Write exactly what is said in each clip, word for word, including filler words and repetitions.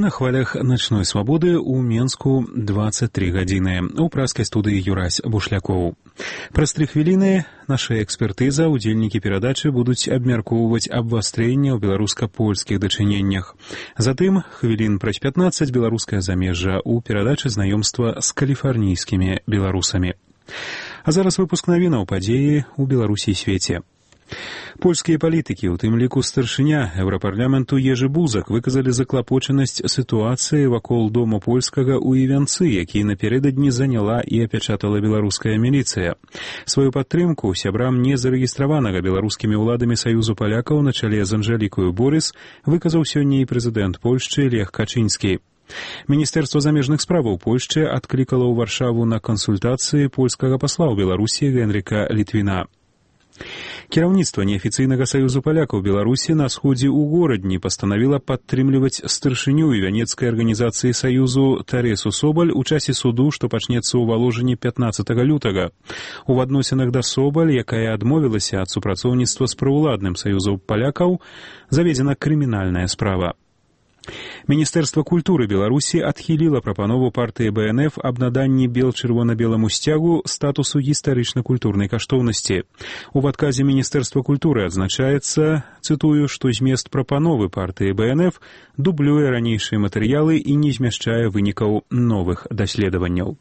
На хвалях «Ночной свабоды» ў Менску двадцать три гадзіны. У праскай студыі Юрась Бушлякоў. Праз тры хвіліны наша экспертыза, удзельнікі перадачы будуць абмяркоўваць абвастрэнне ў беларуска-польскіх дачыненнях. Затым, хвілін праз пятнаццаць, беларускае замежжа ў перадачы знаёмства з каліфарнійскімі беларусамі. А зараз выпуск навінаў падзеі ў Беларусі і свеце. Польскія палітыкі, у тым ліку старшыня Еўрапарламенту Ежы Бузак, выказалі заклапочанасць сітуацыі вакол дома польскага ў Івянцы, які напярэдадні заняла і апячатала беларуская міліцыя. Сваю падтрымку сябрам незарэгістраванага беларускімі ўладамі Саюзу палякаў на чале з Анжэлікаю Борыс выказаў сёння і прэзідэнт Польшчы Лех Качынскі. Міністэрства замежных справаў Польшчы адклікала ў Варшаву на кансультацыі польскага пасла ў Беларусі Генрыка Літвіна. Кіраўніцтва неафіцыйнага Саюзу палякаў Беларусі на сходзе ў горадні пастанавіла падтрымліваць старшыню івянецкай арганізацыі Саюзу Таресу Собаль у часе суду, што пачнецца ў Валожыні пятнаццатага лютага. У адносінах да Собаль, якая адмовілася ад супрацоўніцтва з праўладным Саюзам палякаў, заведзена крымінальная справа. Міністэрства культуры Беларусі адхіліла прапанову партыі Бэ Эн Эф аб наданні бел-чырвона-беламу сцягу статусу гістарычна-культурнай каштоўнасці. У адказе Міністэрства культуры адзначаецца, цытую, што змест прапановы партыі Бэ Эн Эф дублюе ранейшыя матэрыялы і не змяшчае вынікаў новых даследаванняў.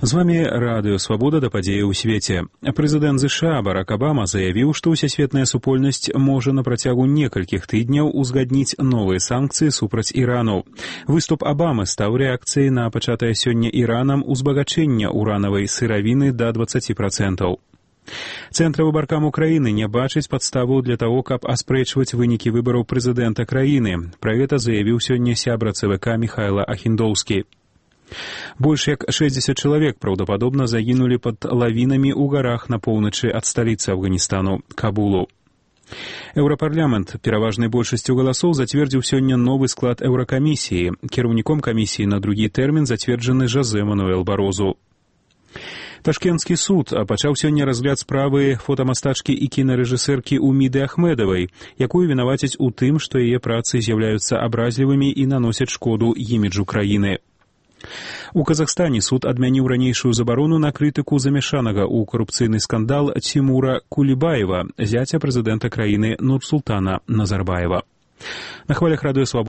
З вами Радыё Свабода да падзеі ў свеце. Прэзідэнт ЗША Барак Абама заявіў, што ўсесветная супольнасць можа на працягу некалькіх тыдняў узгадніць новыя санкцыі супраць Ірану. Выступ Абамы стаў рэакцыяй на пачатае сёння Іранам узбагачэння уранавай сыравіны да дваццаці працэнтаў. Цэнтравы баркам Украіны не бачыць падставу для таго, каб аспрэчваць вынікі выбараў прэзідэнта краіны. Пра гэта заявіў сёння сябра Цэ Вэ Ка Міхайла Ахіндоўскі. Больш як шэсцьдзесят чалавек праўдападобна загінулі пад лавінамі ў гарах на поўначы ад сталіцы Афганістану, Кабулу. Еўрапарламент пераважнай большасцю галасоў зацвердзіў сёння новы склад еўракамісіі. Кіраўніком камісіі на другі тэрмін зацверджаны Жозе Мануэл Барозу. Ташкенtsкі суд пачаў сёння разгляд справы фотамастачкі і кінарэжысэркі Уміды Ахмедавай, якую вінавацяць у тым, што яе працы з'яўляюцца абразлівымі і наносяць шкоду іміджу краіны. У Казахстане суд адмяніў ранейшую забарону на крытыку замяшанага ў карупцыйны скандал Тимура Кулібаева, зяця прэзідэнта краіны Нурсултана Назарбаева. На хвалях Радыё Свабода